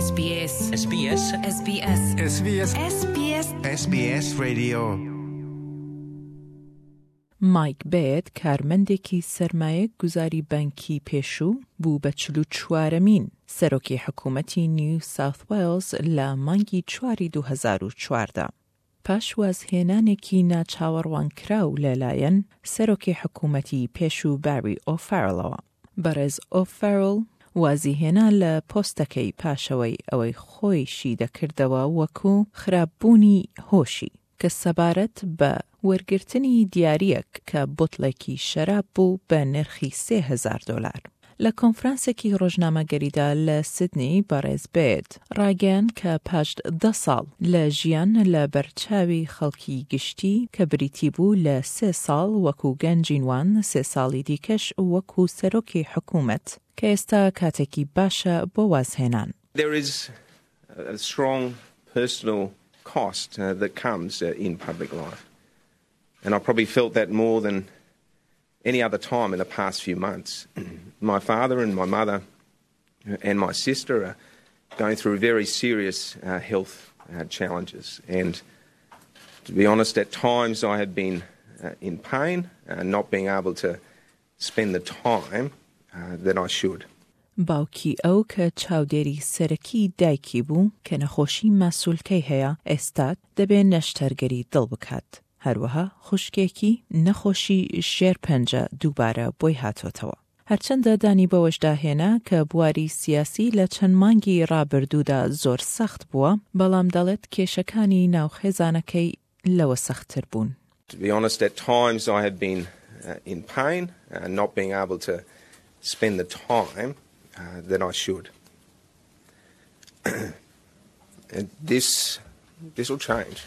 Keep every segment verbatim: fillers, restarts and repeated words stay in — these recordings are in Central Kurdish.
SBS SBS SBS SBS SBS SBS Radio. مایک بێرد، کارمەندێکی سەرمایە گوزاری بانکی پێشوو، بوو بە چل و چوارەمین سەرۆکی حکوومەتی نیو ساوث وێڵز لە مانگی چواری دوو هەزار و چواردە، پاش وازهێنانێکی ناچاوەڕوانکراو لەلایەن سەرۆکی حکوومەتی پێشوو باری ئۆفارڵەوە. بەڕێز ئۆفارڵ وازی هێنا لە پۆستەکەی پاشەوەی ئەوەی خۆیشی دەکردەوە وەکو خراپبوونی هۆشی کە سەبارەت بە وەرگرتنی دیاریەک کە بوتڵێکی شەراب بوو بە نرخی سێ هەزار دلار. لە کۆنفرانسێکی ڕۆژنامەگەریدا لە سیدنی، بەڕێز بێرد ڕاگەیان کە پاش دە ساڵ لە ژیان لە بەرچاوی خەڵکی گشتی، کە بریتی بوو لە سێ ساڵ وەکو گەنجینوان، سێ ساڵی دیکەش وەکو سەرۆکی حکوومەت، کە ئێستا کاتێکی باشە بۆ وازهێنان. There is a strong personal cost uh, that comes uh, in public life. And I probably felt that more than any other time in the past few months. My father and my mother and my sister are going through very serious uh, health uh, challenges. And to be honest, at times I have been uh, in pain, uh, not being able to spend the time uh, that I should. باوکی ئەو کە چاودێری سەرەکی دایکی بوو کە نەخۆشی ماسولکەی هەیە، ئێستا دەبێ نەشتەرگەری دڵ بکات. هەروەها خوشکێکی نەخۆشی شێرپەنجە دووبارە بۆی هاتۆتەوە. هەرچەندە دانی بەوەشدا هێنا کە بواری سیاسی لە چەند مانگی ڕابردوودا زۆر سەخت بووە، بەڵام دەڵێت کێشەکانی ناو خێزانەکەی لەوە سەختتر بوون. To be honest, at times I have been uh, in pain, uh, not being able to spend the time uh, that I should. And this, this will change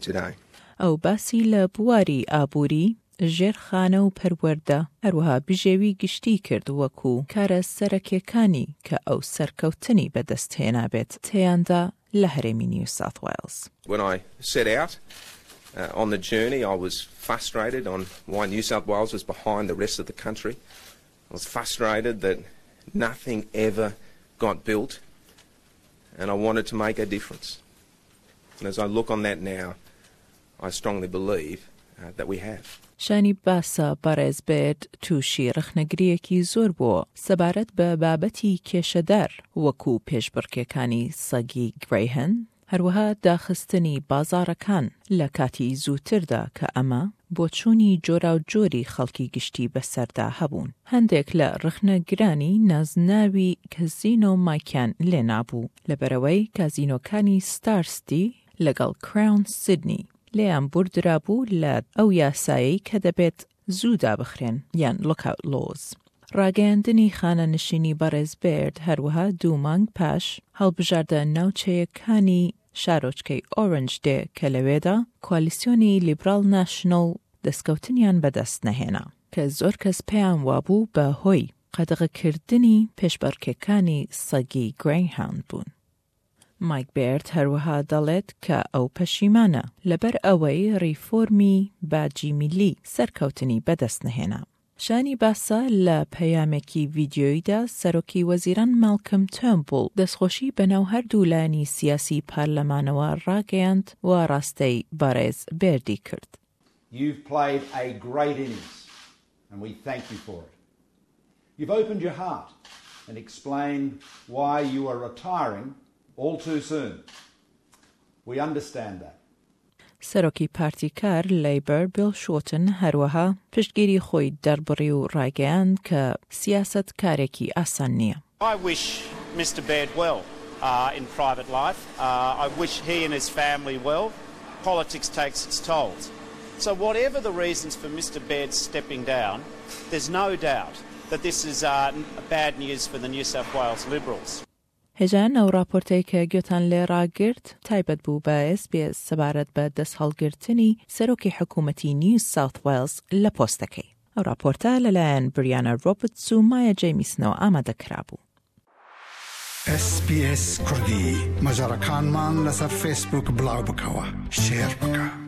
today. ئەو باسی لە بواری ئابووری، ژێرخانە و پەروەردە، هەروەها بژێوی گشتی کرد وەکو کارە سەرەکیەکانی کە ئەو سەرکەوتنی بەدەست هێنابێت تێیاندا لە هەرێمی نیو ساوث وێڵز. When I set out uh, on the journey, I was frustrated on why New South Wales was behind the rest of the country. I was frustrated that nothing ever got built, and I wanted to make a difference. And as I look on that now, I strongly believe uh, that we have. شایانی باسە بەڕێز بێرد تووشی ڕەخنەگریەکی زۆر بووە سەبارەت بە بابەتی کێشەدار وەکو پێشبڕکێکانی سەگی گرەیهاوند، هەروەها داخستنی بازارەکان لە کاتی زووتردا، کە ئەمە بۆچوونی جۆراوجۆری خەڵکی گشتی بەسەردا هەبوون. هەندێک لە ڕەخنەگرانی نازناوی کەزینۆ مایکیان لێنابوو لەبەرەوەی کازینۆکانی ستار سیتی لەگەڵ کراون سیدنی لێیان بوردرابوو لە ئەو یاسایەی کە دەبێت زوو دابخرێن یان lockout laws. ڕاگەیاندنی خانەنشینی بەڕێز بێرد هەروەها دوو مانگ پاش هەڵبژاردە ناوچەیەکانی شارۆچکەی ئۆرنج دێ کە لەوێدا کوالیسیۆنی لیبرال ناشنڵ دەستکەوتنیان بەدەست نەهێنا، کە زۆر کەس پێیان وابوو بە هۆی قەدەغەکردنی پێشبڕکێکانی سەگی گرەیهاوند بوون. مایک بێرد هەروەها دەڵێت کە ئەو پەشیمانە لەبەر ئەوەی ڕیفۆرمی باجی میلی سەرکەوتنی بەدەست نەهێنا. شایانی باسە لە پەیامێکی ڤیدیۆییدا سەرۆکی وەزیران ماڵکم تێرنبوڵ دەستخۆشی بەناو هەردوو لایەنی سیاسی پەرلەمانەوە ڕاگەیاند و ئاراستەی بەڕێز بێردی کرد. You've played a great innings, and we thank you for it. You've opened your heart and explained why you are retiring all too soon. We understand that. سەرۆکی پارتی کار لەیبەر بیل شۆتن هەروەها پشتگیری خۆی دەربڕی و ڕایگەیاند کە سیاسەت کارێکی ئاسان نییە. I wish Mister Baird well uh, in private life. Uh, I wish he and his family well. Politics takes its toll. So, whatever the reasons for Mister Baird stepping down, there's no doubt that this is uh, bad news for the New South Wales Liberals. هێژان ئەو راپۆرتەی کە گوێتان لێ ڕاگرت تایبەت بوو بە S B S سەبارەت بە دەست هەڵگرتنی سەرۆکی حکوومەتی نیو ساوث وێڵز لە پۆستەکەی. ئەو راپۆرتە لەلایەن بریانە ڕۆبرتس و مایا جەیمیسنەوە ئامادە کرابوو. S B S کوردی مەجەڕەکانمان لەسەر فەیسبوک بڵاو بکەوە، شێر بکە.